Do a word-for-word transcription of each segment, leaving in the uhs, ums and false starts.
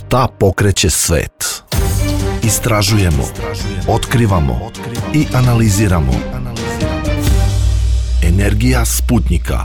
Šta pokreće svet? Istražujemo, otkrivamo i analiziramo. Energija Sputnjika.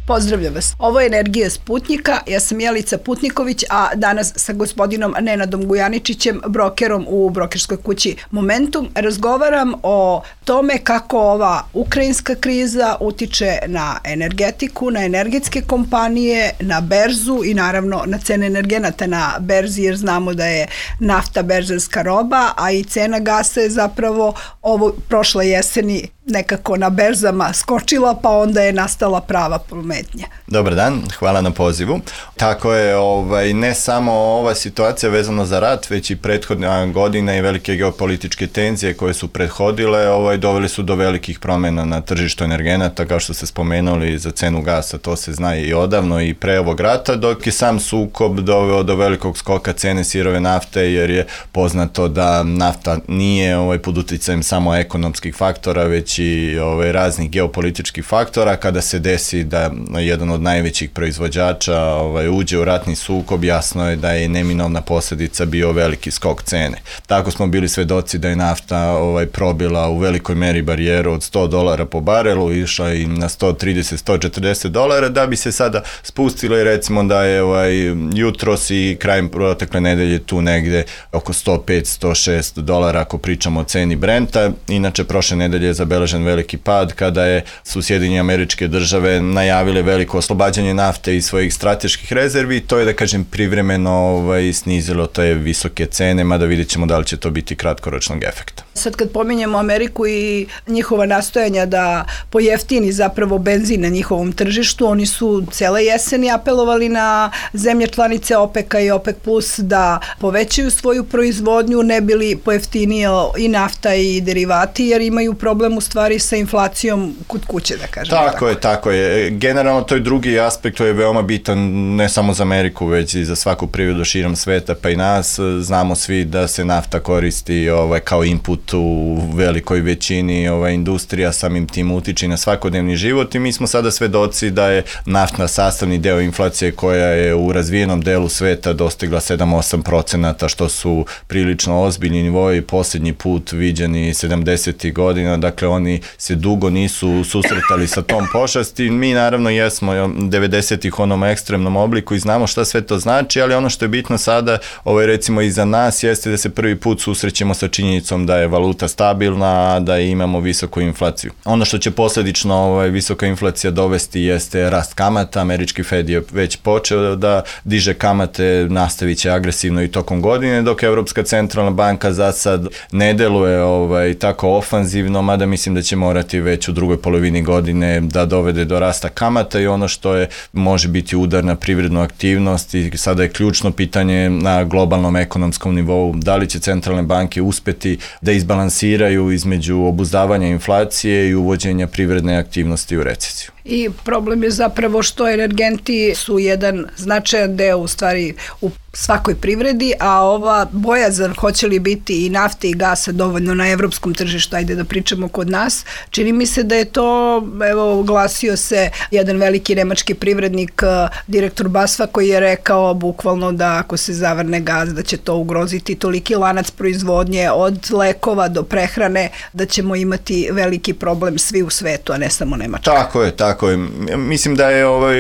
Pozdravljam vas. Ovo je Energija Sputnjika. Ja sam Jelica Putniković, a danas sa gospodinom Nenadom Gujaničićem, brokerom u brokerskoj kući Momentum, razgovaram o tome kako ova ukrajinska kriza utiče na energetiku, na energetske kompanije, na berzu i naravno na cene energenata na berzi, jer znamo da je nafta berzanska roba, a i cena gasa je zapravo ovo prošle jeseni nekako na berzama skočila, pa onda je nastala prava pometnja. Dobar dan, hvala na pozivu. Tako je, ovaj, ne samo ova situacija vezana za rat, već i prethodna godina i velike geopolitičke tenzije koje su prethodile, ovaj, doveli su do velikih promjena na tržištu energenata, kao što ste spomenuli za cenu gasa, to se zna i odavno i pre ovog rata, dok je sam sukob doveo do velikog skoka cene sirove nafte, jer je poznato da nafta nije ovaj, pod uticajem samo ekonomskih faktora, već i ovaj, raznih geopolitičkih faktora. Kada se desi da jedan od najvećih proizvođača ovaj, uđe u ratni sukob, jasno je da je neminovna posljedica bio veliki skok cene. Tako smo bili svedoci da je nafta ovaj, probila u velikoj meri barijeru od sto dolara po barelu, išla i na sto trideset do sto četrdeset dolara, da bi se sada spustilo i recimo da je ovaj, jutros i krajem protekle nedelje tu negde oko sto pet do sto šest dolara ako pričamo o ceni Brenta. Inače, prošle nedelje je zabeležen veliki pad kada je su Sjedinjene Američke Države najavile veliko oslobađanje nafte iz svojih strateških rezervi. To je, da kažem, privremeno ovaj, snizilo te visoke cene, mada vidjet ćemo da li će to biti kratkoročnog efekta. Sad kad pominjemo Ameriku i njihova nastojanja da pojeftini zapravo benzin na njihovom tržištu, oni su cele jeseni apelovali na zemlje članice OPEC-a i OPEC plus da povećaju svoju proizvodnju, ne bi li pojeftinio i nafta i derivati, jer imaju problem u stvari sa inflacijom kod kuće, da kažem. Tako, tako je, tako je. Generalno to je drugi aspekt, to je veoma bitan ne samo za Ameriku, već i za svaku privredu širom sveta, pa i nas. Znamo svi da se nafta koristi ovaj, kao input u velikoj većini ovaj, industrija, samim tim utiče na svakodnevni život i mi smo sada svedoci da je naftna sastavni deo inflacije koja je u razvijenom delu sveta dostigla sedam do osam procenata, što su prilično ozbiljni nivoji, posljednji put viđeni sedamdesetih godina, dakle oni se dugo nisu susretali sa tom pošasti. Mi naravno jesmo devedesetih u onom ekstremnom obliku i znamo šta sve to znači, ali ono što je bitno sada, ovaj, recimo i za nas, jeste da se prvi put susrećemo sa činjenicom da je valuta stabilna, da imamo visoku inflaciju. Ono što će posljedično ovaj, visoka inflacija dovesti jeste rast kamata. Američki Fed je već počeo da diže kamate, nastavit će agresivno i tokom godine, dok Evropska centralna banka za sad ne deluje ovaj, tako ofanzivno, mada mislim da će morati već u drugoj polovini godine da dovede do rasta kamata i ono što je može biti udar na privrednu aktivnost i sada je ključno pitanje na globalnom ekonomskom nivou, da li će centralne banke uspeti da izbalansiraju između obuzdavanja inflacije i uvođenja privredne aktivnosti u recesiju. I problem je zapravo što energenti su jedan značajan deo u stvari u svakoj privredi, a ova bojazan hoće li biti i nafte i gasa dovoljno na evropskom tržištu, ajde da pričamo kod nas, čini mi se da je to, evo, oglasio se jedan veliki nemački privrednik, direktor BASF-a, koji je rekao bukvalno da ako se zavrne gas, da će to ugroziti toliki lanac proizvodnje od lekova do prehrane, da ćemo imati veliki problem svi u svetu, a ne samo Nemačka. Tako je, tako je. Mislim da je, ovaj,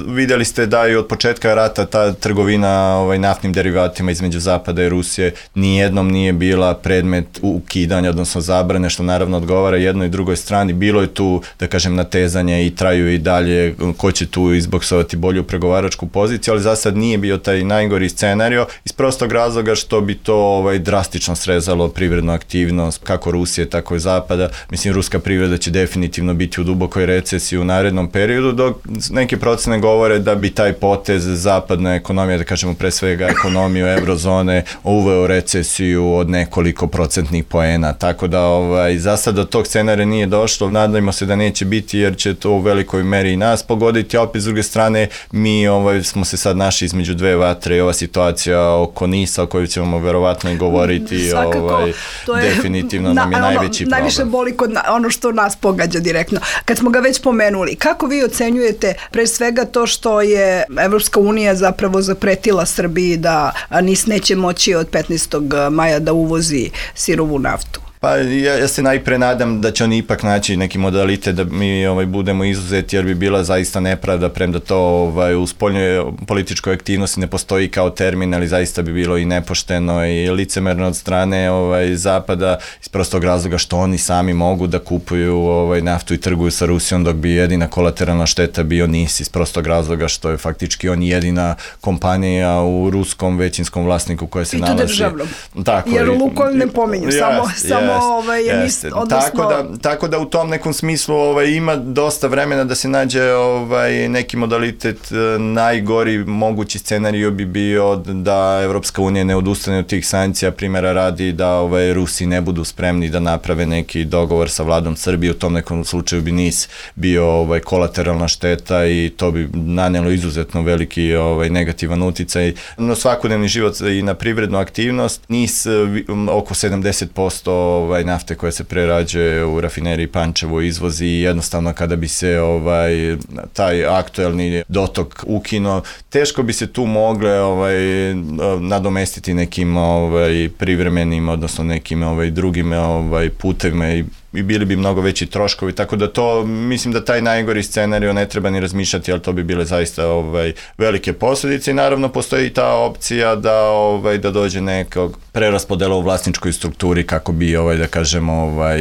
vidjeli ste da je od početka rata ta trgovina ovaj, naftnim derivatima između Zapada i Rusije nijednom nije bila predmet ukidanja, odnosno zabrane, što naravno odgovara jednoj i drugoj strani. Bilo je tu, da kažem, natezanje i traju i dalje ko će tu izboksovati bolju pregovaračku poziciju, ali za sad nije bio taj najgori scenario iz prostog razloga što bi to ovaj, drastično srezalo privrednu aktivnost kako Rusije, tako i Zapada. Mislim, ruska privreda će definitivno biti u dubokoj recesiji u narednom periodu, dok neke procene govore da bi taj potez zapadna ekonomija, da kažemo pre svega ekonomiju eurozone, uveo recesiju od nekoliko procentnih poena, tako da ovaj, za sad do tog scenarija nije došlo, nadajmo se da neće biti jer će to u velikoj meri i nas pogoditi, a opet s druge strane mi ovaj, smo se sad našli između dve vatre i ova situacija oko NIS-a o kojoj ćemo verovatno i govoriti. Svakako ovaj, to je, definitivno nam je na, najveći ono, problem. Najviše boli kod na, ono što nas pogađa direktno. Kad smo ga već pomenuli, kako vi ocenjujete pre svega to što je Evropska unija zapravo zapretila Srbiji da NIS neće moći od petnaestog maja da uvozi sirovu naftu? Pa ja, ja se najpre nadam da će oni ipak naći neki modalitet da mi ovaj, budemo izuzeti, jer bi bila zaista nepravda, premda to ovaj, u spoljnoj političkoj aktivnosti ne postoji kao termin, ali zaista bi bilo i nepošteno i licemerno od strane ovaj, Zapada, iz prostog razloga što oni sami mogu da kupuju ovaj, naftu i trguju sa Rusijom, dok bi jedina kolateralna šteta bio NIS, iz prostog razloga što je faktički on jedina kompanija u ruskom većinskom vlasniku koja se nalazi. I to državnom. Tako, jer Lukoil ne pominju, yes, samo, yes. samo Ovaj, jest, odnosno... tako, da, tako da u tom nekom smislu ovaj, ima dosta vremena da se nađe ovaj, neki modalitet. Najgori mogući scenarij bi bio da Evropska unija ne odustane od tih sankcija, primjera radi da ovaj, Rusi ne budu spremni da naprave neki dogovor sa vladom Srbije. U tom nekom slučaju bi NIS bio ovaj, kolateralna šteta i to bi nanelo izuzetno veliki ovaj, negativan uticaj na svakodnevni život i na privrednu aktivnost. NIS oko sedamdeset posto ovaj, nafte koja se prerađuje u rafineriji Pančevo izvozi i jednostavno kada bi se ovaj, taj aktuelni dotok ukinuo, teško bi se tu mogle ovaj, nadomestiti nekim ovaj, privremenim, odnosno nekim ovaj, drugim ovaj, putevima i i bili bi mnogo veći troškovi, tako da to, mislim da taj najgori scenarij ne treba ni razmišljati, ali to bi bile zaista ovaj, velike posljedice i naravno postoji i ta opcija da, ovaj, da dođe nekog preraspodela u vlasničkoj strukturi kako bi, ovaj, da kažemo, ovaj,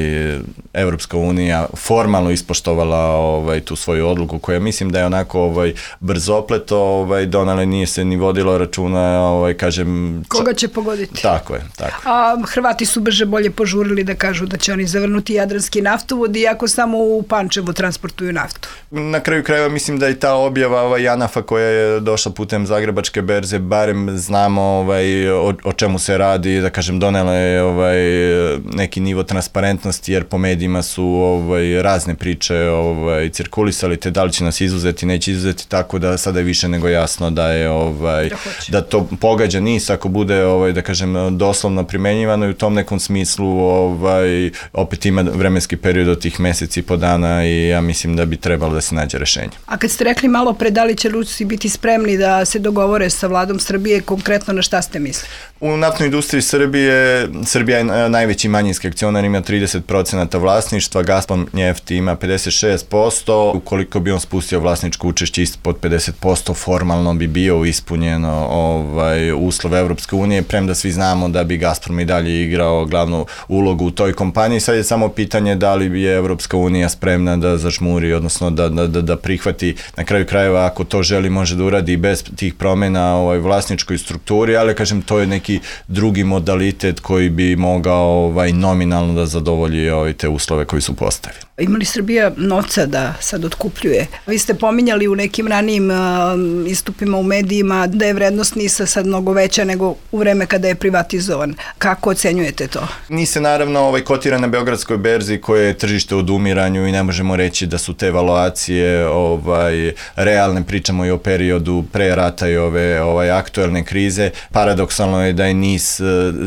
Evropska unija formalno ispoštovala ovaj, tu svoju odluku koja mislim da je onako ovaj, brzopleto ovaj, donale, nije se ni vodilo računa, ovaj, kažem... Koga će pogoditi? Tako je, tako. A Hrvati su brže bolje požurili da kažu da će oni zavrnuti jadranski naftovod, iako samo u Pančevu transportuju naftu. Na kraju krajeva mislim da i ta objava ovaj, Janafa koja je došla putem Zagrebačke berze, barem znamo ovaj, o, o čemu se radi, da kažem donela je ovaj, neki nivo transparentnosti, jer po medijima su ovaj, razne priče ovaj, cirkulisali, te da li će nas izuzeti, neće izuzeti, tako da sada je više nego jasno da je ovaj, da, da to pogađa NIS ako bude ovaj, da kažem doslovno primenjivano i u tom nekom smislu ovaj, opet ima vremenski period od tih meseci i po dana i ja mislim da bi trebalo da se nađe rešenje. A kad ste rekli malo pre da li će Rusi biti spremni da se dogovore sa vladom Srbije, konkretno na šta ste mislili? U naftnoj industriji Srbije, Srbija je najveći manjinski akcionar, ima trideset procenata vlasništva, Gazprom Neft ima pedeset šest posto, ukoliko bi on spustio vlasničko učešće ispod pedeset posto, formalno bi bio ispunjeno ovaj, uslov Evropske unije, premda svi znamo da bi Gazprom i dalje igrao glavnu ulogu u toj kompaniji, sad je samo pitanje da li je Evropska unija spremna da zažmuri, odnosno da, da, da, da prihvati, na kraju krajeva ako to želi može da uradi bez tih promjena ovaj, vlasničkoj strukturi, ali kažem to je neki drugi modalitet koji bi mogao ovaj, nominalno da zadovolji ovaj, te uslove koji su postavili. Ima li Srbija novca da sad otkupljuje? Vi ste pominjali u nekim ranijim uh, istupima u medijima da je vrednost NIS-a sad mnogo veća nego u vreme kada je privatizovan. Kako ocenjujete to? NIS je naravno ovaj, kotira na Beogradskoj berzi koje je tržište u odumiranju i ne možemo reći da su te valuacije ovaj, realne, pričamo i o periodu pre rata i ove ovaj, aktuelne krize. Paradoksalno je da je NIS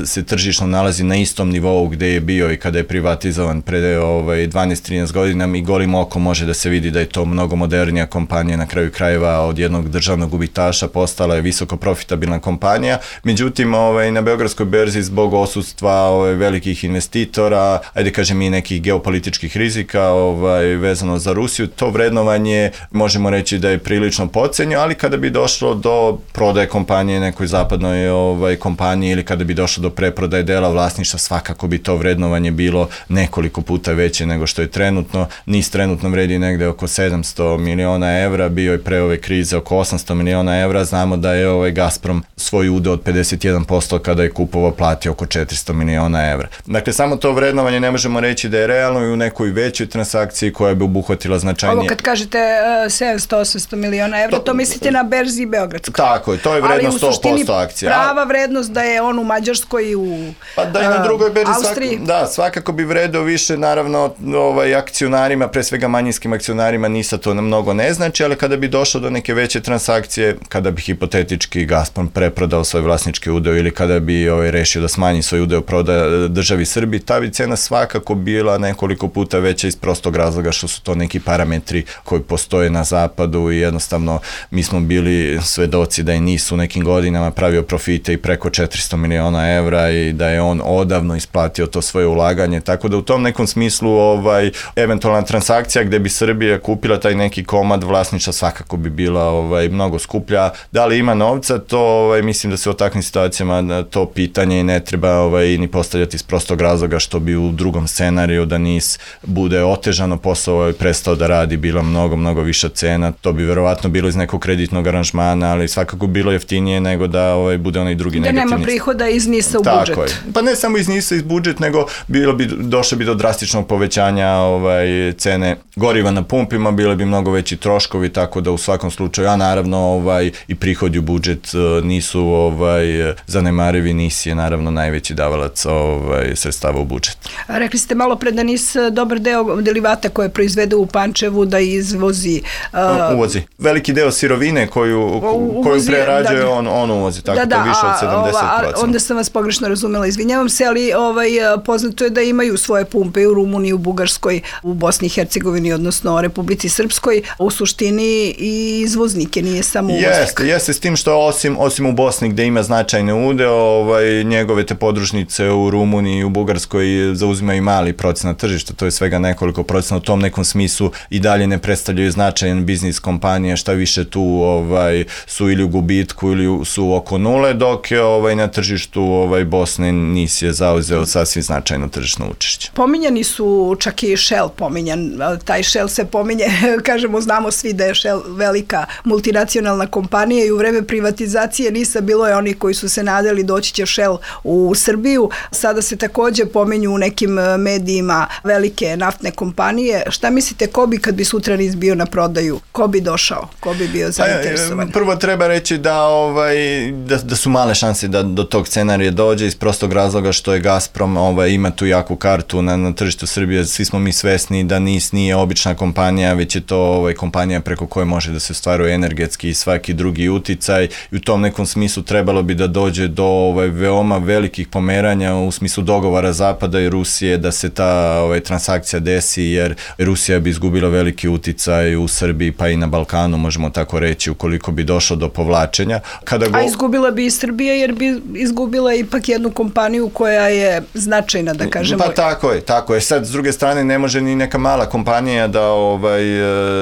se tržišno nalazi na istom nivou gde je bio i kada je privatizovan pre ovaj, dvanaest trinaest godina i golim okom može da se vidi da je to mnogo modernija kompanija, na kraju krajeva od jednog državnog gubitaša postala je visoko profitabilna kompanija. Međutim, ovaj, na Beogradskoj berzi zbog odsutstva ovaj, velikih investitora, ajde kažem i nekih geopolitičkih rizika ovaj, vezano za Rusiju, to vrednovanje možemo reći da je prilično podcenjeno, ali kada bi došlo do prodaje kompanije nekoj zapadnoj ovaj, kompaniji ili kada bi došlo do preprodaje dela vlasništva, svakako bi to vrednovanje bilo nekoliko puta veće nego što je trenutno. NIS trenutno vredi negde oko sedamsto miliona evra, bio je pre ove krize oko osamsto miliona evra, znamo da je ovaj Gazprom svoj udeo od pedeset jedan posto kada je kupovao platio oko četiristo miliona evra. Dakle, samo to vrednovanje ne možemo reći reći da je realno i u nekoj većoj transakciji koja bi obuhvatila značajnije. Ovo kad kažete uh, sedamsto do osamsto miliona evra, to, to mislite na berzi Beogradskoj. Tako je, to je vrednost sto posto akcija. Prava vrednost da je on u Mađarskoj i u pa da i na drugoj berzi Austriji. Svako, da, svakako bi vredeo više, naravno, ovaj, akcionarima, pre svega manjinskim akcionarima, NISA to mnogo ne znači, ali kada bi došlo do neke veće transakcije, kada bi hipotetički Gazprom preprodao svoj vlasnički udeo ili kada bi ovaj, rešio da smanji svoj udeo proda državi Srbiji, ta bi cena svakako bila nekoliko puta veća iz prostog razloga što su to neki parametri koji postoje na zapadu i jednostavno mi smo bili svedoci da je NIS u nekim godinama pravio profite i preko četiristo miliona evra i da je on odavno isplatio to svoje ulaganje, tako da u tom nekom smislu ovaj, eventualna transakcija gde bi Srbija kupila taj neki komad vlasništva svakako bi bila ovaj, mnogo skuplja. Da li ima novca, to ovaj, mislim da se u takvim situacijama to pitanje ne treba ovaj, ni postavljati iz prostog razloga što bi u drugom scenariju da NIS bude otežano posao i prestao da radi, bila mnogo, mnogo viša cena, to bi verovatno bilo iz nekog kreditnog aranžmana, ali svakako bilo jeftinije nego da ovaj, bude onaj drugi da negativni. Da nema prihoda iz NIS-a u Tako budžet. Je. Pa ne samo iz NIS-a iz budžet, nego bilo bi, došlo bi do drastičnog povećanja ovaj, cene goriva na pumpima, bile bi mnogo veći troškovi, tako da u svakom slučaju, a naravno ovaj, i prihodi u budžet nisu ovaj, zanemarivi, NIS je naravno najveći davalac ovaj, sredstava u budžet. A rekli ste malo pre da NIS dobar deo derivata koje proizvede u Pančevu da izvozi. Uh, uvozi. Veliki deo sirovine koju, uvozi, koju prerađuje da, on, on uvozi, tako da, da, to više od sedamdeset posto. A, onda sam vas pogrešno razumela, izvinjavam se, ali ovaj, poznato je da imaju svoje pumpe i u Rumuniji, u Bugarskoj, u Bosni i Hercegovini, odnosno Republici Srpskoj, u suštini i izvoznike, nije samo uvoznik. Jeste, jeste s tim što osim, osim u Bosni gde ima značajne udeo, ovaj, njegove te podružnice u Rumuniji i u Bugarskoj zauzimaju mali procenat tržišta, to je svega nekoliko procena, u tom nekom smislu i dalje ne predstavljaju značajan biznis kompanije, šta više tu ovaj, su ili u gubitku ili su oko nule, dok je ovaj, na tržištu ovaj, Bosne NIS je zauzeo sasvim značajno tržišno učešće. Pominjani su čak i Shell pominjan, taj Shell se pominje, kažemo, znamo svi da je Shell velika multinacionalna kompanija i u vreme privatizacije NIS-a bilo je oni koji su se nadali doći će Shell u Srbiju, sada se takođe pominju u nekim medijima velike naftne kompanije. Šta mislite, ko bi kad bi sutra NIS bio na prodaju, ko bi došao, ko bi bio zainteresovan? Prvo treba reći da, ovaj, da, da su male šanse da do tog scenarija dođe iz prostog razloga što je Gazprom ovaj, ima tu jaku kartu na, na tržištu Srbije. Svi smo mi svesni da NIS nije obična kompanija, već je to ovaj, kompanija preko koje može da se ostvaruje energetski i svaki drugi uticaj i u tom nekom smislu trebalo bi da dođe do ovaj, veoma velikih pomeranja u smislu dogovora Zapada i Rusije da se ta ovaj, transakcija desi, jer Rusija bi izgubila veliki uticaj u Srbiji pa i na Balkanu, možemo tako reći, ukoliko bi došlo do povlačenja. Kada go... A izgubila bi i Srbija jer bi izgubila ipak jednu kompaniju koja je značajna, da kažemo. Pa tako je, tako je. Sad, s druge strane, ne može ni neka mala kompanija da, ovaj,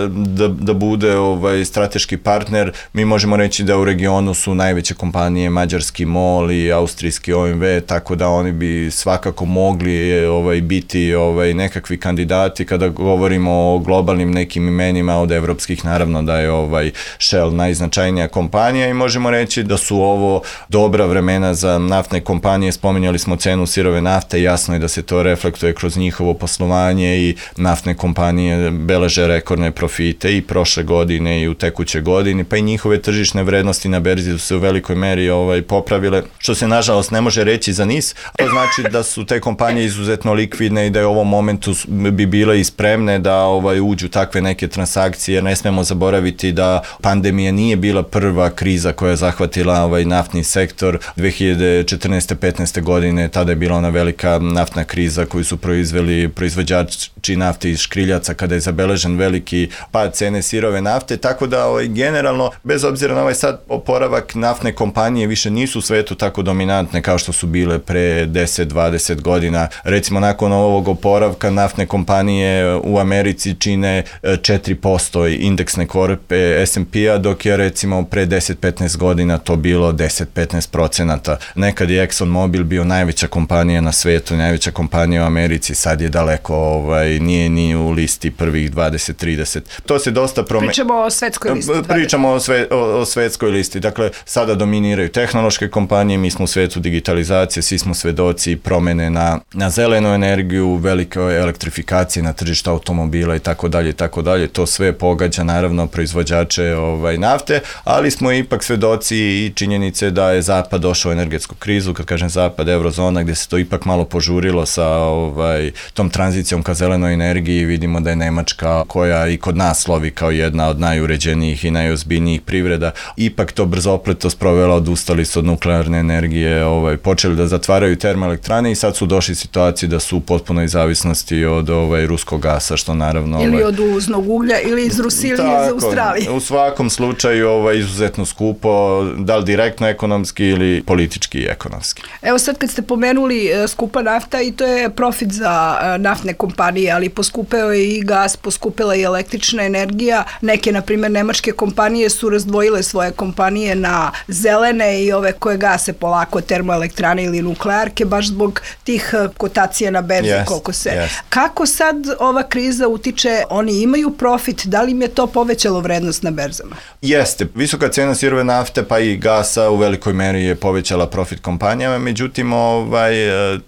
da, da bude ovaj, strateški partner. Mi možemo reći da u regionu su najveće kompanije mađarski MOL i austrijski O M V, tako da oni bi svakako mogli ovaj, biti ovaj, nekakvi kandidati kada govorimo o globalnim nekim imenima od evropskih, naravno da je ovaj Shell najznačajnija kompanija i možemo reći da su ovo dobra vremena za naftne kompanije. Spominjali smo cenu sirove nafte, jasno je da se to reflektuje kroz njihovo poslovanje i naftne kompanije beleže rekordne profite i prošle godine i u tekućoj godini, pa i njihove tržišne vrednosti na berzi su se u velikoj meri ovaj, popravile, što se nažalost ne može reći za NIS. To znači da su te kompanije izuzetno likvidne i da je u ovom momentu bi bile i spremne da ovaj, uđu takve neke transakcije, jer ne smemo zaboraviti da pandemija nije bila prva kriza koja je zahvatila ovaj, naftni sektor. dve hiljade četrnaeste petnaeste godine tada je bila ona velika naftna kriza koju su proizveli proizvođači nafte iz škriljaca kada je zabeležen veliki pad cene sirove nafte, tako da ovaj, generalno, bez obzira na ovaj sad oporavak, naftne kompanije više nisu u svetu tako dominantne kao što su bile pre deset dvadeset godina. Recimo, nakon ovog oporavka naftne kompanije u Americi čine četiri posto indeksne korpe es and pe-a, dok je recimo pre deset petnaest godina to bilo deset do petnaest procenata. Nekad je Exxon Mobil bio najveća kompanija na svetu, najveća kompanija u Americi, sad je daleko, ovaj, nije ni u listi prvih dvadeset trideset. To se dosta promenilo. Pričamo o svetskoj listi. Pričamo o, sve, o, o svetskoj listi. Dakle, sada dominiraju tehnološke kompanije, mi smo u svetu digitalizacije, svi smo svedoci promene na, na zelenu energiju, energiju, velike elektrifikacije na tržištu automobila i tako dalje i tako dalje. To sve pogađa naravno proizvođače ovaj, nafte, ali smo ipak svedoci i činjenice da je Zapad došao u energetsku krizu, kad kažem Zapad, eurozona, gdje se to ipak malo požurilo sa ovaj, tom tranzicijom ka zelenoj energiji. Vidimo da je Nemačka, koja i kod nas slovi kao jedna od najuređenijih i najozbiljnijih privreda, ipak to brzopleto sprovela, odustali su od nuklearne energije, ovaj, počeli da zatvaraju termoelektrane i sad su došli u situaciji da su u potpunoj zavisnosti od ovaj, ruskog gasa, što naravno... Ovaj, ili od uvoznog uglja, ili iz Rusije, ili iz Australije. U svakom slučaju ovaj, izuzetno skupo, da li direktno ekonomski ili politički i ekonomski. Evo sad kad ste pomenuli skupa nafta, i to je profit za naftne kompanije, ali poskupeo je i gas, poskupela i električna energija. Neke, na primjer, nemačke kompanije su razdvojile svoje kompanije na zelene i ove koje gase polako termoelektrane ili nuklearke, baš zbog tih kotacija na berzi, yes, koliko se... Yes. Kako sad ova kriza utiče, oni imaju profit, da li im je to povećalo vrednost na berzama? Jeste, visoka cena sirove nafte pa i gasa u velikoj meri je povećala profit kompanijama, međutim ovaj,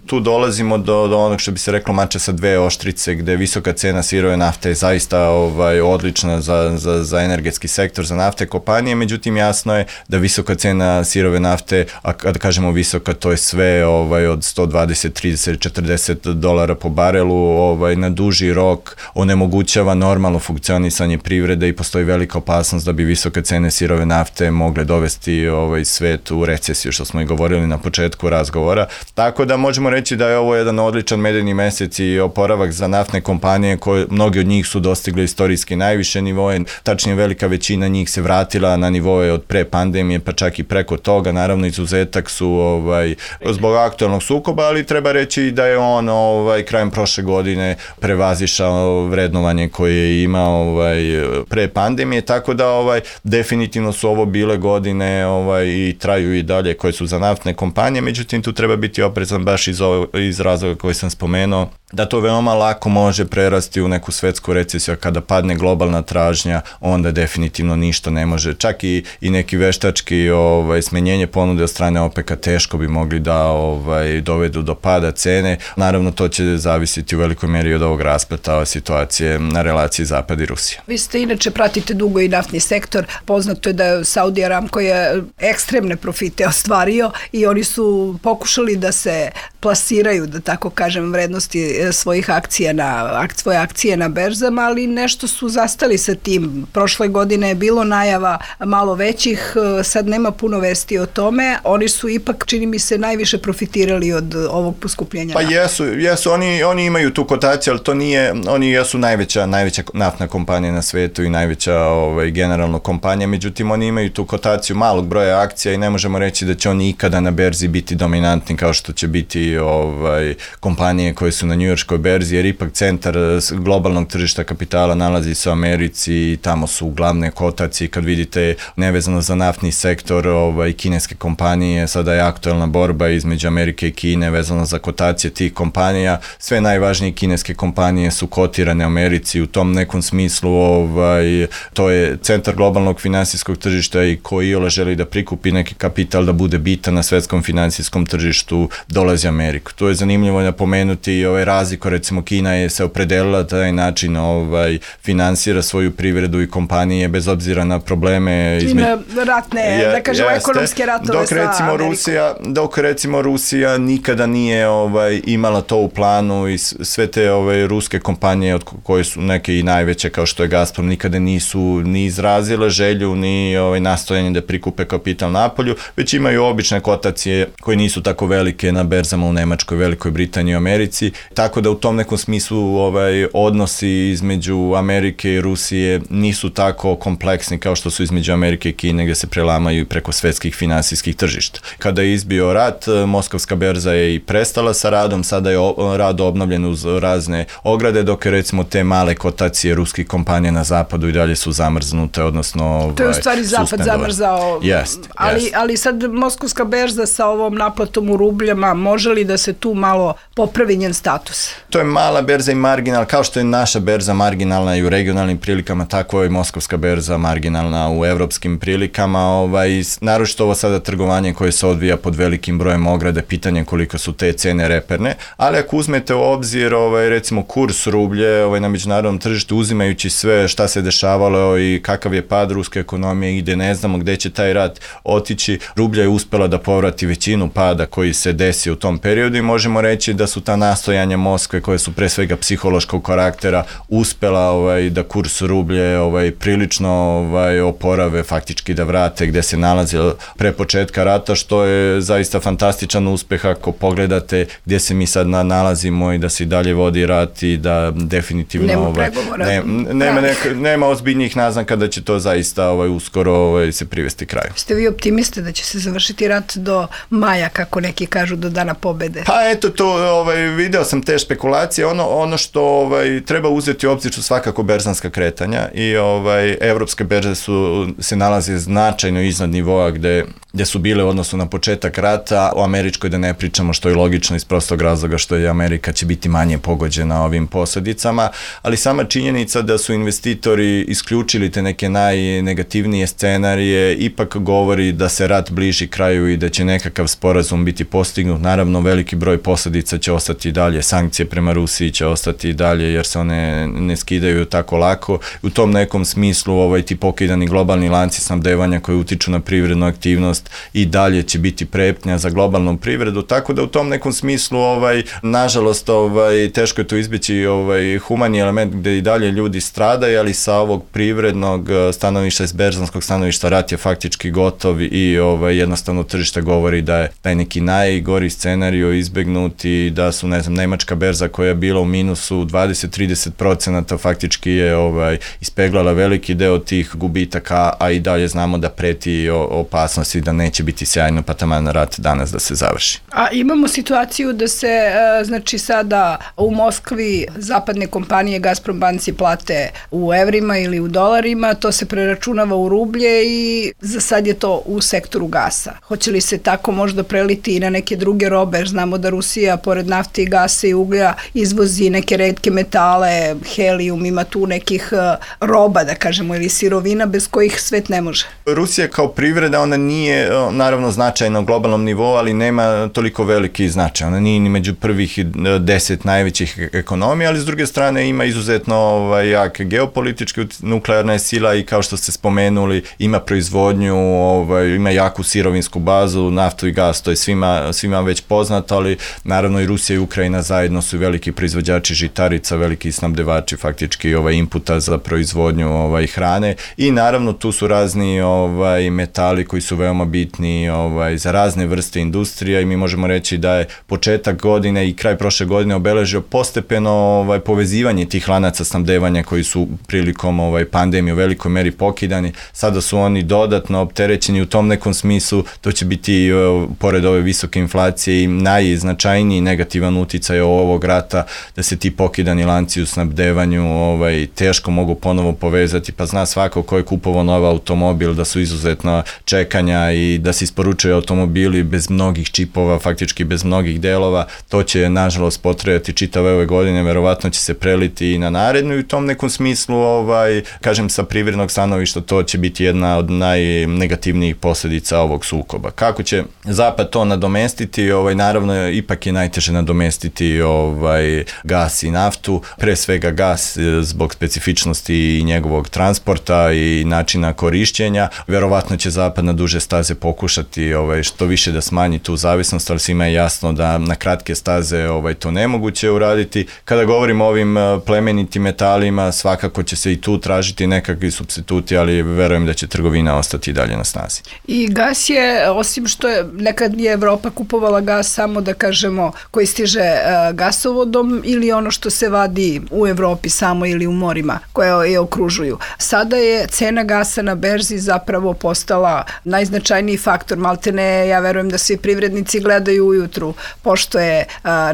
tu dolazimo do, do onog što bi se reklo mača sa dve oštrice, gde visoka cena sirove nafte je zaista ovaj, odlična za, za, za energetski sektor, za nafte kompanije, međutim jasno je da visoka cena sirove nafte, a kada kažemo visoka, to je sve ovaj, od sto dvadeset, trideset, četrdeset dolara po barelu, ovaj, na duži rok onemogućava normalno funkcionisanje privrede i postoji velika opasnost da bi visoke cene sirove nafte mogle dovesti ovaj, svet u recesiju, što smo i govorili na početku razgovora. Tako da možemo reći da je ovo jedan odličan medeni mesec i oporavak za naftne kompanije, koje mnogi od njih su dostigli istorijski najviše nivoje, tačnije velika većina njih se vratila na nivoje od pre pandemije, pa čak i preko toga. Naravno, izuzetak su ovaj, zbog aktualnog sukoba, ali treba reći da je on ovaj, krajem prošle godine prevazišao vrednovanje koje je imao ovaj, pre pandemije, tako da ovaj, definitivno su ovo bile godine ovaj, i traju i dalje koje su za naftne kompanije, međutim tu treba biti oprezan baš iz, ovo, iz razloga koji sam spomenuo, da to veoma lako može prerasti u neku svetsku recesiju, kada padne globalna tražnja, onda definitivno ništa ne može. Čak i, i neki veštački ovaj, smenjenje ponude od strane OPEC-a teško bi mogli da ovaj, dovedu do pada cene. Naravno, to će zavisiti u velikoj meri od ovog raspleta situacije na relaciji Zapad i Rusija. Vi ste inače pratite dugo i naftni sektor. Poznato je da je Saudi Aramco je ekstremne profite ostvario i oni su pokušali da se plasiraju, da tako kažem, vrednosti svojih akcija na, svoje akcije na berzama, ali nešto su zastali sa tim. Prošle godine je bilo najava malo većih, sad nema puno vesti o tome. Oni su ipak, čini mi se, najviše profitirali od ovog poskupljenja. Pa jesu, jesu oni, oni imaju tu kotaciju, ali to nije, oni jesu najveća, najveća naftna kompanija na svetu i najveća ovaj, generalno kompanija, međutim oni imaju tu kotaciju malog broja akcija i ne možemo reći da će oni ikada na berzi biti dominantni kao što će biti ovaj, kompanije koje su na njujorškoj berzi, jer ipak centar globalnog tržišta kapitala nalazi se u Americi i tamo su glavne kotacije. Kad vidite nevezano za naftni sektor ovaj, kineske kompanije, sada je aktualna borba između Amerike i Kine vezano za kotacije tih kompanija. Sve najvažnije kineske kompanije su kotirane u Americi, u tom nekom smislu ovaj, to je centar globalnog finansijskog tržišta i koji iole želi da prikupi neki kapital da bude bitan na svetskom finansijskom tržištu, dolazi Ameriku. To je zanimljivo napomenuti i ovaj razliku, recimo Kina je se opredelila da taj način ovaj, finansira svoju privredu i kompanije bez obzira na probleme između ratne, je, da kažemo jeste, ekonomske ratove dok recimo sa Rusija, dok recimo Rusija nikada nije ovaj, imala to u planu i sve te ovaj, ruske kompanije od koje su neke i najveće kao što je Gazprom nikada nisu ni izrazile želju ni ovaj, nastojanje da prikupe kapital napolju, već imaju obične kotacije koje nisu tako velike na berzama u Nemačkoj, Velikoj Britaniji i Americi, tako da u tom nekom smislu ovaj, odnosi između Amerike i Rusije nisu tako kompleksni kao što su između Amerike i Kine, gde se prelamaju preko svetskih finansijskih tržišta. Kada je izbio rat, Moskovska berza je i prestala sa radom, sada je rad obnovljen uz razne ograde, dok je recimo te male kotacije ruskih kompanija na zapadu i dalje su zamrznute, odnosno ovaj, to je u stvari zapad zamrzao, jest, ali, jest. ali sad Moskovska berza sa ovom naplatom u rubljama, može očekivali da se tu malo popravi njen status? To je mala berza i marginal, kao što je naša berza marginalna i u regionalnim prilikama, tako je i moskovska berza marginalna u evropskim prilikama. Ovaj, naročito ovo sada trgovanje koje se odvija pod velikim brojem ograde, pitanje koliko su te cene reperne, ali ako uzmete u obzir ovaj, recimo kurs rublje ovaj, na međunarodnom tržištu, uzimajući sve šta se dešavalo i kakav je pad ruske ekonomije i gde ne znamo gde će taj rat otići, rublja je uspela da povrati većinu pada koji se desio u tom periodu i možemo reći da su ta nastojanja Moskve koje su pre svega psihološkog karaktera uspela ovaj, da kurs rublje ovaj, prilično ovaj, oporave, faktički da vrate gde se nalazi pre početka rata, što je zaista fantastičan uspeh ako pogledate gdje se mi sad nalazimo i da se i dalje vodi rat i da definitivno nema ovaj, pregovora. Ne, nema, neka, nema ozbiljnijih naznaka da će to zaista ovaj, uskoro ovaj, se privesti kraju. Ste vi optimiste da će se završiti rat do maja, kako neki kažu, do dana pobede? Pa eto, to ovaj, video sam te špekulacije. Ono, ono što ovaj, treba uzeti u obzir su svakako berzanska kretanja i ovaj, evropske berze su, se nalaze značajno iznad nivoa gde, gde su bile u odnosu na početak rata, o američkoj da ne pričamo, što je logično iz prostog razloga što je Amerika će biti manje pogođena ovim posledicama, ali sama činjenica da su investitori isključili te neke najnegativnije scenarije ipak govori da se rat bliži kraju i da će nekakav sporazum biti postignut. Naravno, veliki broj posledica će ostati dalje, sankcije prema Rusiji će ostati dalje jer se one ne skidaju tako lako. U tom nekom smislu ovaj, ti pokidani globalni lanci snabdevanja koji utiču na privrednu aktivnost i dalje će biti prepnja za globalnu privredu, tako da u tom nekom smislu ovaj, nažalost ovaj, teško je to izbeći ovaj, humani element gde i dalje ljudi stradaju, ali sa ovog privrednog stanovišta, iz berzanskog stanovišta rat je faktički gotov i ovaj, jednostavno tržište govori da je taj neki najgori scenario izbegnut i da su, ne znam, nemačka berza koja je bila u minusu dvadeset do trideset procenata faktički je ovaj, ispeglala veliki deo tih gubitaka, a i dalje znamo da preti opasnosti da neće biti sjajno pa taman rat danas da se završi. A imamo situaciju da se, znači sada u Moskvi zapadne kompanije Gazprom banci plate u evrima ili u dolarima, to se preračunava u rublje i za sad je to u sektoru gasa. Hoće li se tako možda preliti i na neke druge robe, jer znamo da Rusija pored nafte i gasa i uglja izvozi neke retke metale, helijum, ima tu nekih roba, da kažemo, ili sirovina bez kojih svet ne može. Rusija kao privreda, ona nije naravno značajna u globalnom nivou, ali nema toliko veliki značaj. Ona nije ni među prvih deset najvećih ekonomija, ali s druge strane ima izuzetno ovaj, jak geopolitički, nuklearna je sila i kao što ste spomenuli, ima proizvodnju, ovaj, ima jaku sirovinsku bazu, naftu i gas, to je svima, svima već poznato, ali naravno i Rusija i Ukrajina zajedno su veliki proizvođači žitarica, veliki snabdevači faktički ovaj, inputa za proizvodnju ovaj, hrane i naravno tu su razni ovaj, metali koji su veoma bitni ovaj, za razne vrste industrija i mi možemo reći da je početak godine i kraj prošle godine obeležio postepeno ovaj, povezivanje tih lanaca snabdevanja koji su prilikom ovaj, pandemije u velikoj meri pokidani. Sada su oni dodatno opterećeni u tom nekom smislu, to će biti pored ove visoke inflacije i najznačajniji negativan uticaj ovog rata da se ti pokidani lanci u snabdevanju ovaj, teško mogu ponovo povezati, pa zna svako ko je kupovao nov automobil da su izuzetna čekanja i da se isporučuju automobili bez mnogih čipova, faktički bez mnogih delova, to će nažalost potrajati čitave ove godine, verovatno će se preliti i na narednu i u tom nekom smislu, ovaj, kažem sa privrednog stanovišta, to će biti jedna od najnegativnijih posledica ovog sukoba. Kako će Zapad to nadomestiti? Ovaj, naravno, ipak je najteže nadomestiti ovaj, gas i naftu, pre svega gas zbog specifičnosti i njegovog transporta i načina korišćenja. Verovatno će Zapad na duže staze pokušati ovaj, što više da smanji tu zavisnost, ali svima je jasno da na kratke staze ovaj, to nemoguće uraditi. Kada govorimo o ovim plemenitim metalima, svakako će se i tu tražiti nekakvi supstituti, ali verujem da će trgovina ostati dalje na snazi. I gas je, osim što je, nekad je Evropa kupovala gas samo da kažemo koji stiže uh, gasovodom ili ono što se vadi u Evropi samo ili u morima koje je okružuju. Sada je cena gasa na berzi zapravo postala najznačajnija najznačajniji faktor. Maltene, ja verujem da svi privrednici gledaju ujutru, pošto je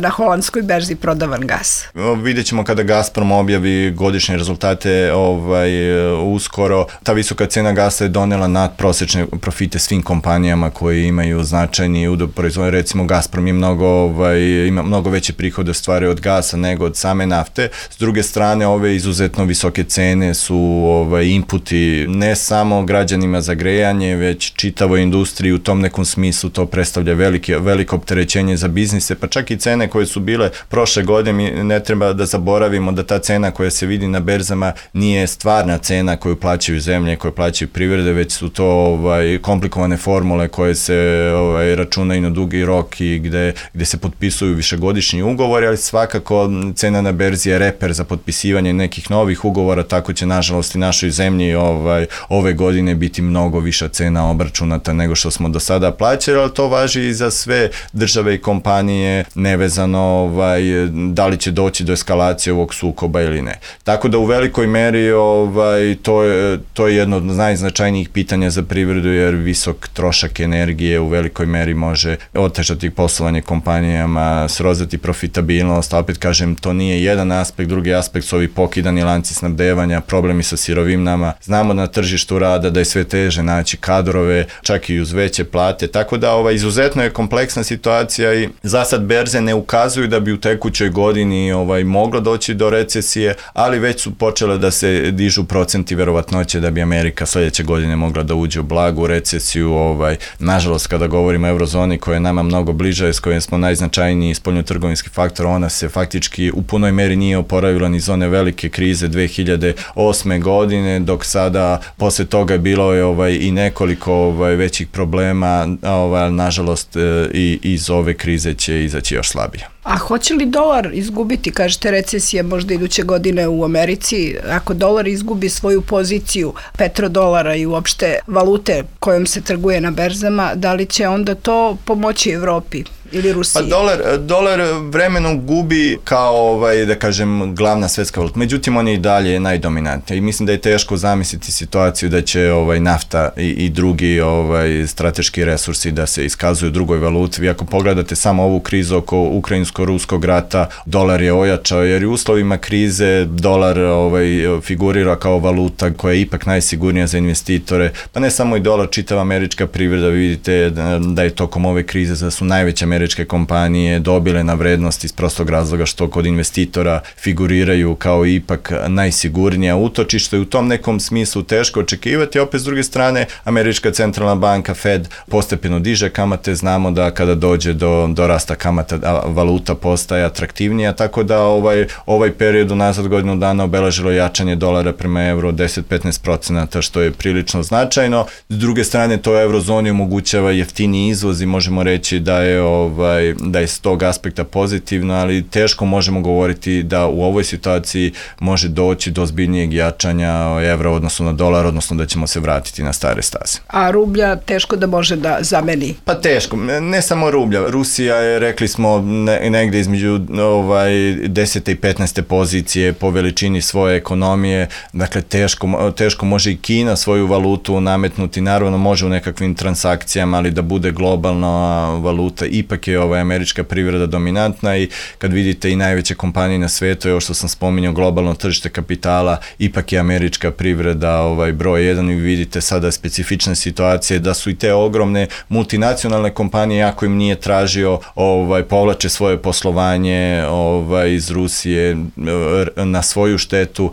na holandskoj berzi prodavan gas. Vidjet ćemo kada Gazprom objavi godišnje rezultate ovaj, uskoro. Ta visoka cena gasa je donela nadprosečne profite svim kompanijama koji imaju značajni udeo proizvodnje. Recimo Gazprom je mnogo, ovaj, ima mnogo veće prihode ostvaruje od gasa nego od same nafte. S druge strane, ove izuzetno visoke cene su ovaj, inputi ne samo građanima za grejanje, već čitavoj industriji. U tom nekom smislu to predstavlja velike, veliko opterećenje za biznise, pa čak i cene koje su bile prošle godine. Mi ne treba da zaboravimo da ta cena koja se vidi na berzama nije stvarna cena koju plaćaju zemlje, koju plaćaju privrede, već su to ovaj, komplikovane formule koje se ovaj, računaju na dugi rok i gde, gde se potpisuju višegodišnji ugovori, ali svakako cena na berzi je reper za potpisivanje nekih novih ugovora, tako će nažalost i našoj zemlji ovaj, ove godine biti mnogo viša cena obračunata nego što smo do sada plaćali, ali to važi i za sve države i kompanije, nevezano ovaj, da li će doći do eskalacije ovog sukoba ili ne. Tako da u velikoj meri ovaj, to, je, to je jedno od najznačajnijih pitanja za privredu, jer visok trošak energije u velikoj meri može otežati poslovanje kompanijama, srozati profitabilnost, a opet kažem, to nije jedan aspekt, drugi aspekt su ovi pokidani lanci snabdevanja, problemi sa sirovinama. Znamo na tržištu rada da je sve teže naći kadrove, čak i uz veće plate, tako da ovaj, izuzetno je kompleksna situacija i za sad berze ne ukazuju da bi u tekućoj godini ovaj, moglo doći do recesije, ali već su počele da se dižu procenti verovatnoće da bi Amerika sledeće godine mogla da uđe u blagu recesiju. Ovaj, nažalost, kada govorimo o eurozoni koja je nama mnogo bliža, s kojom smo najznačajniji spoljnotrgovinski faktor, ona se faktički u punoj meri nije oporavila ni iz one velike krize dve hiljade osme godine, dok sada posle toga je bilo je, ovaj, i nekoliko ovaj, većih problema, ovaj, nažalost i iz ove krize će izaći još slabije. A hoće li dolar izgubiti, kažete recesija možda iduće godine u Americi, ako dolar izgubi svoju poziciju petrodolara i uopšte valute kojom se trguje na berzama, da li će onda to pomoći Evropi ili Rusiji? Pa dolar, dolar vremenom gubi kao, ovaj, da kažem, glavna svetska valuta. Međutim, on je i dalje najdominantniji i mislim da je teško zamisliti situaciju da će ovaj, nafta i, i drugi ovaj, strateški resursi da se iskazuju u drugoj valuti. Vi ako pogledate samo ovu krizu oko ukrajinsko-ruskog rata, dolar je ojačao, jer u uslovima krize dolar ovaj, figurira kao valuta koja je ipak najsigurnija za investitore. Pa ne samo i dolar, čitava američka privreda, vi vidite da je tokom ove krize da su najveće američke kompanije dobile na vrednosti iz prostog razloga što kod investitora figuriraju kao ipak najsigurnija utočište i u tom nekom smislu teško očekivati. Opet s druge strane, američka centralna banka Fed postepeno diže kamate, znamo da kada dođe do, do rasta kamata valuta postaje atraktivnija, tako da ovaj, ovaj period unazad godinu dana obeležilo jačanje dolara prema evru deset do petnaest procenata, što je prilično značajno. S druge strane, to eurozoni omogućava jeftini izvoz i možemo reći da je Ovaj, da je s tog aspekta pozitivno, ali teško možemo govoriti da u ovoj situaciji može doći do ozbiljnijeg jačanja evra odnosno na dolar, odnosno da ćemo se vratiti na stare staze. A rublja teško da može da zameni? Pa teško, ne samo rublja. Rusija je, rekli smo, ne, negde između ovaj, desete i petnaeste pozicije po veličini svoje ekonomije, dakle teško, teško može i Kina svoju valutu nametnuti, naravno može u nekakvim transakcijama, ali da bude globalna valuta, ipak je ova američka privreda dominantna i kad vidite i najveće kompanije na svetu, evo što sam spominjao, globalno tržište kapitala, ipak je američka privreda ovaj, broj jedan i vidite sada specifične situacije da su i te ogromne multinacionalne kompanije, ako im nije tražio, ovaj, povlače svoje poslovanje ovaj, iz Rusije na svoju štetu,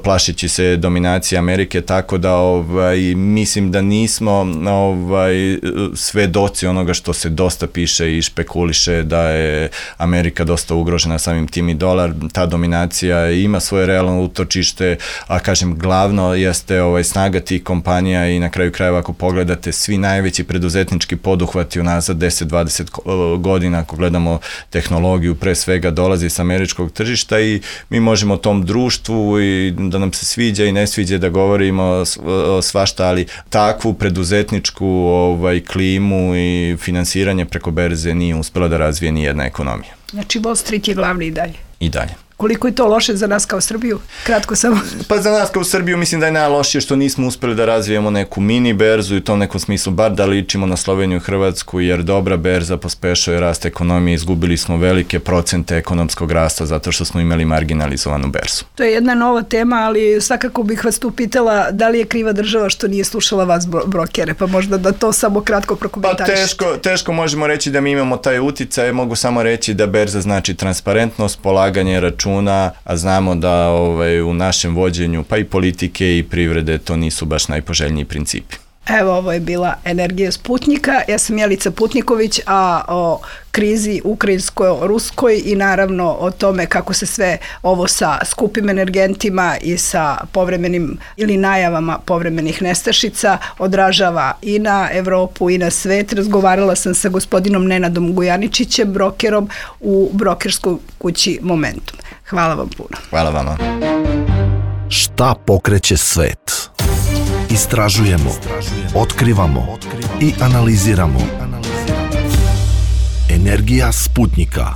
plašići se dominacije Amerike, tako da ovaj, mislim da nismo ovaj, svedoci onoga što se dosta piše i špekuliše da je Amerika dosta ugrožena samim tim i dolar. Ta dominacija ima svoje realno utočište, a kažem glavno jeste ovaj, snaga tih kompanija i na kraju krajeva ako pogledate svi najveći preduzetnički poduhvati unazad deset do dvadeset godina, ako gledamo tehnologiju, pre svega dolazi s američkog tržišta i mi možemo tom društvu i da nam se sviđa i ne sviđa da govorimo svašta, ali takvu preduzetničku ovaj, klimu i finansiranje preko berze nije uspela da razvije ni jedna ekonomija. Znači Wall Street je glavni i dalje? I dalje. Koliko je to loše za nas kao Srbiju? Kratko samo. Pa za nas kao Srbiju mislim da je najlošije što nismo uspeli da razvijemo neku mini berzu i u tom nekom smislu bar da ličimo na Sloveniju i Hrvatsku, jer dobra berza pospešuje rast ekonomije, izgubili smo velike procente ekonomskog rasta zato što smo imali marginalizovanu berzu. To je jedna nova tema, ali svakako bih vas tu pitala da li je kriva država što nije slušala vas brokere, pa možda da to samo kratko prokomentarišete. Pa teško, teško možemo reći da mi imamo taj uticaj, mogu samo reći da berza znači transparentnost, polaganje računa, a znamo da ovaj, u našem vođenju pa i politike i privrede to nisu baš najpoželjniji principi. Evo, ovo je bila Energija Sputnika. Ja sam Jelica Putniković, a o krizi ukrajinsko-ruskoj i naravno o tome kako se sve ovo sa skupim energentima i sa povremenim ili najavama povremenih nestašica odražava i na Evropu i na svet. Razgovarala sam sa gospodinom Nenadom Gujaničićem, brokerom u brokerskoj kući Momentum. Hvala vam puno. Hvala vama. Šta pokreće svet? Istražujemo, otkrivamo i analiziramo. Energija Sputnika.